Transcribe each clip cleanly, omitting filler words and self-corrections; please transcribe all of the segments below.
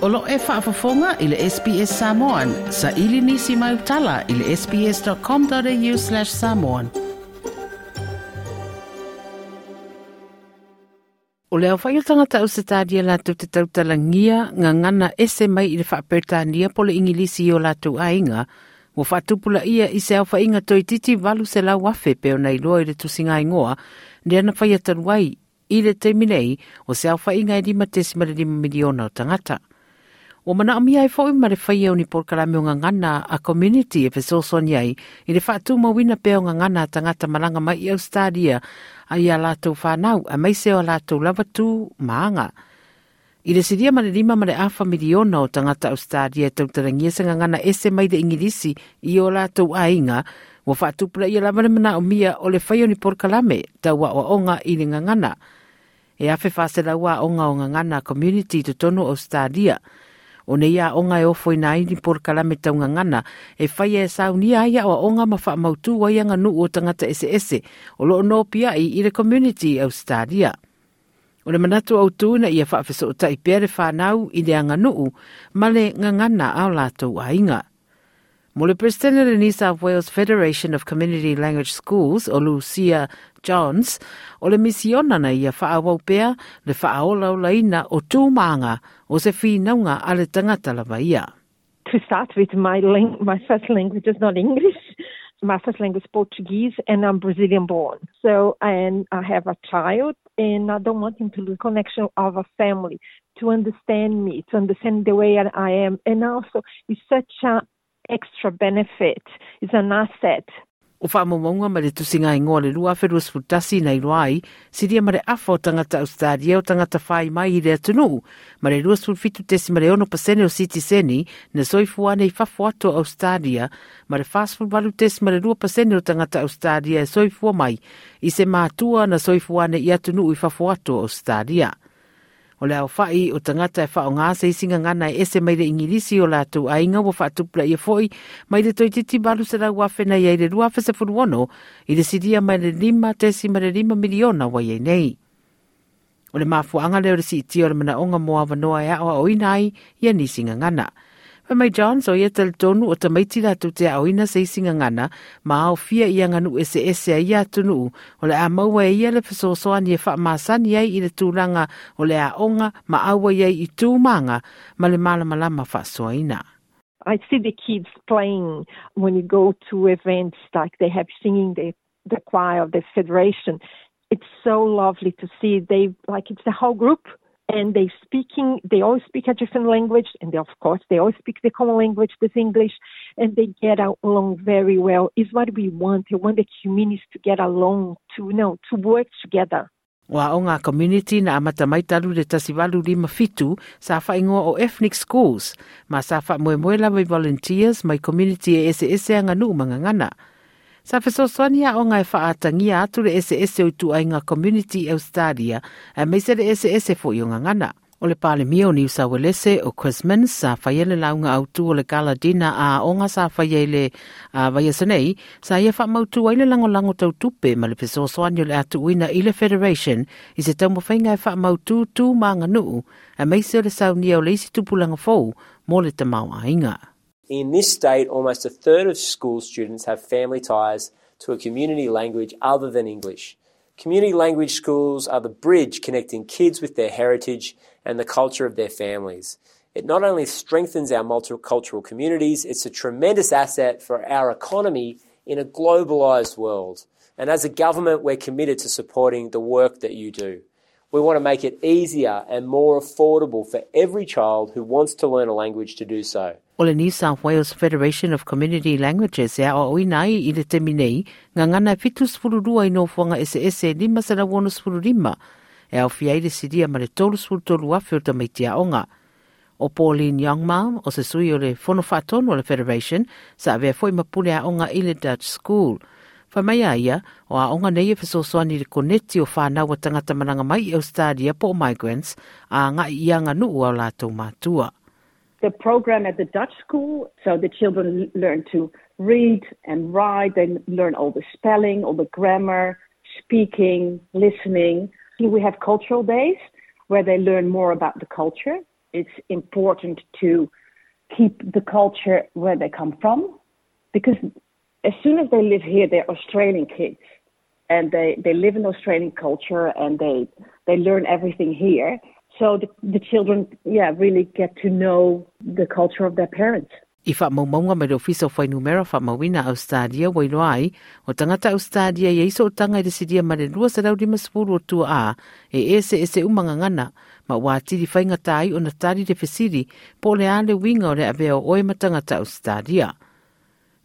O lo e faafofoga i le SBS Samoan. Sa ili nisi mai utala i le sbs.com.au/samoan. O le aofai o tagata Ausetalia latou te tautalagia gagana ese mai i le faaperetania po o le Igilisi i o latou aiga, ua faatupulaia i se aofaiga toeitiiti 800,000 pei ona iloa i le tusiga igoa lea na faia talu ai i le taimi nei o se aofaiga e 5.5 miliona o tagata. Ua manaomia ai foi ma le faia o ni polokalame o gagana a community e fesoasoani ai i le faatumauina pea o gagana a tagata malaga mai i Ausetalia a ia latou fanau aemaise o a latou lava tu ma aga. I le silia ma le 5.5 miliona o tagata Ausetalia e tautalagia se gagana ese mai le Igilisi i o latou aiga, ua faatupulaia lava le manaomia o le faia o ni polokalame tau aoaoga i le gagana. E 1400 aoga o gagana community i totonu o Ausetalia. O nei aoga e ofoina ai ni polokalame tau gagana e faia e saunia ai aoaoga ma faamautu ai aganuu o tagata eseese o loo nopiai i le community i Ausetalia. O le manatu autu ina ia faafesootai pea le fanau i le aganuu ma le gagana a o latou aiga. Mo le Peresetene o le New South Wales Federation of Community Language Schools o Lucia Johns, o le misiona na ia faaauau pea le faaolaolaina o tu ma aga o se finauga a le tagata lava ia. To start with, my first language is not English. My first language is Portuguese, and I'm Brazilian born. So, and I have a child, and I don't want him to lose connection of a family, to understand me, to understand the way I am. And also, it's such an extra benefit. It's an asset. O faamaumauga mai le tusiga igoa o le 2021 na iloa ai, silia ma le afa o tagata Ausetalia o tagata fai mai i le atunuu, ma le 27.6 pasene o sitiseni na soifua ana i fafo atu o Ausetalia, ma le 48.2 pasene o tagata Ausetalia e soifua mai i se matua na soifua ana i atunuu i fafo atu o Ausetalia. O le aofai o tagata e faaaoga se isi gagana e ese mai le Igilisi o latou aiga ua faatupulaia foi mai le toeitiiti 800,000 na i ai i le 2016 i le silia mai le 5.5 miliona ua i ai nei. O le mafuaaga lea o le siitia o le manaoga mo avanoa e aoaoina ai ia nisi gagana. Fai mai Johns, o ia talitonu o tamaiti latou te aoaoina se isi gagana ma aofia i aganuu eseese a ia atunuu, o le a maua e ia le fesoasoani e faamasani ai i le tulaga o le aoga ma auai ai i tu ma aga ma le malamalama faasoaina. I see the kids playing when you go to events like they have singing the choir of the federation. It's so lovely to see they like it's the whole group and they speaking they all speak a different language and they, of course they all speak the common language this English and they get along very well is what we want we want the communities to get along to you know to work together. O aoga community na amata mai talu le 1857 sa faaigoa o Ethnic Schools ma sa faamoemoe lava i volunteers mai community e eseese aganuu ma gagana. Sa fesoasoani aoga e faaatagia atu le eseese o ituaiga community i Ausetalia aemaise le eseese foi o gagana. O le Palemia o Niu Sauelese o Chris Minns sa faia le lauga autu o le Gala Dinner a aoga sa faia i le vaiaso nei, sa ia faamautu ai le lagolago tau tupe ma le fesoasoani o le a tuuina i le Federation i se taumafaiga e faamautu tu ma aganuu aemaise o le saunia o le isi tupulaga fou mo le tamaoaiga. In this state, almost a third of school students have family ties to a community language other than English. Community language schools are the bridge connecting kids with their heritage and the culture of their families. It not only strengthens our multicultural communities, it's a tremendous asset for our economy in a globalised world. And as a government, we're committed to supporting the work that you do. We want to make it easier and more affordable for every child who wants to learn a language to do so. O le New South Wales Federation of Community Languages e aoaoina ai i le taimi nei gagana e 72 i nofoaga eseese e 565 e aofia ai le silia ma le 33,000 o tamaiti aoga. O Pauline Youngmalm, o se sui o le Fono Faatonu o le Federation, sa avea foi ma pule aoga i le Dutch School. Fai mai a ia, o aoga nei e fesoasoani i le koneti o fanau a tagata malaga mai i Ausetalia po o migrants a agai i aganuu a o latou matua. The program at the Dutch school, so the children learn to read and write, they learn all the spelling, all the grammar, speaking, listening. We have cultural days where they learn more about the culture. It's important to keep the culture where they come from because as soon as they live here, they're Australian kids and they, they live in Australian culture and they, they learn everything here. So the, the children, yeah, really get to know the culture of their parents. I faamaumauga mai le Ofisa o Fuainumera Faamauina Ausetalia ua iloa ai, o tagata Ausetalia e i ai sootaga i le silia ma le 250 o tuaa e eseese uma gagana, ma ua atili faigata ai ona tali le fesili po o le a le uiga o le avea o oe ma tagata Ausetalia.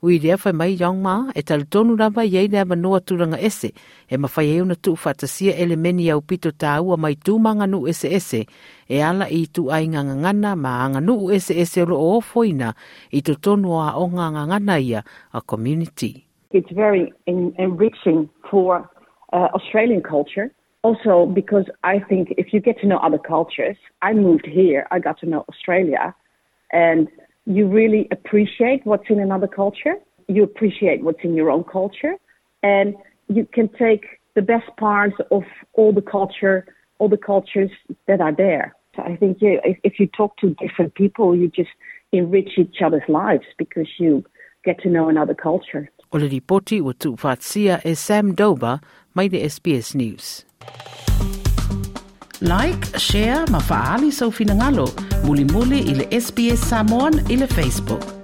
Ui lea fai mai Yong Ma, e talitonu lava i ai le avanoa tulaga ese e mafai ai ona tuufaatasia elemeni aupito taua mai tu ma aganuu eseese e ala i ituaiga gagana ma aganuu eseese o lo o ofoina i totonu o aoga gagana ia a community. It's very enriching for uh, Australian culture. Also, because I think if you get to know other cultures, I moved here, I got to know Australia, and you really appreciate what's in another culture. You appreciate what's in your own culture, and you can take the best parts of all the culture, all the cultures that are there. So I think yeah, if, if you talk to different people, you just enrich each other's lives because you get to know another culture. O le lipoti ua tuufaatasia e Sam Dover mai le SBS News. Like, share ma faaali sou finagalo mulimuli i le SBS Samoan i le Facebook.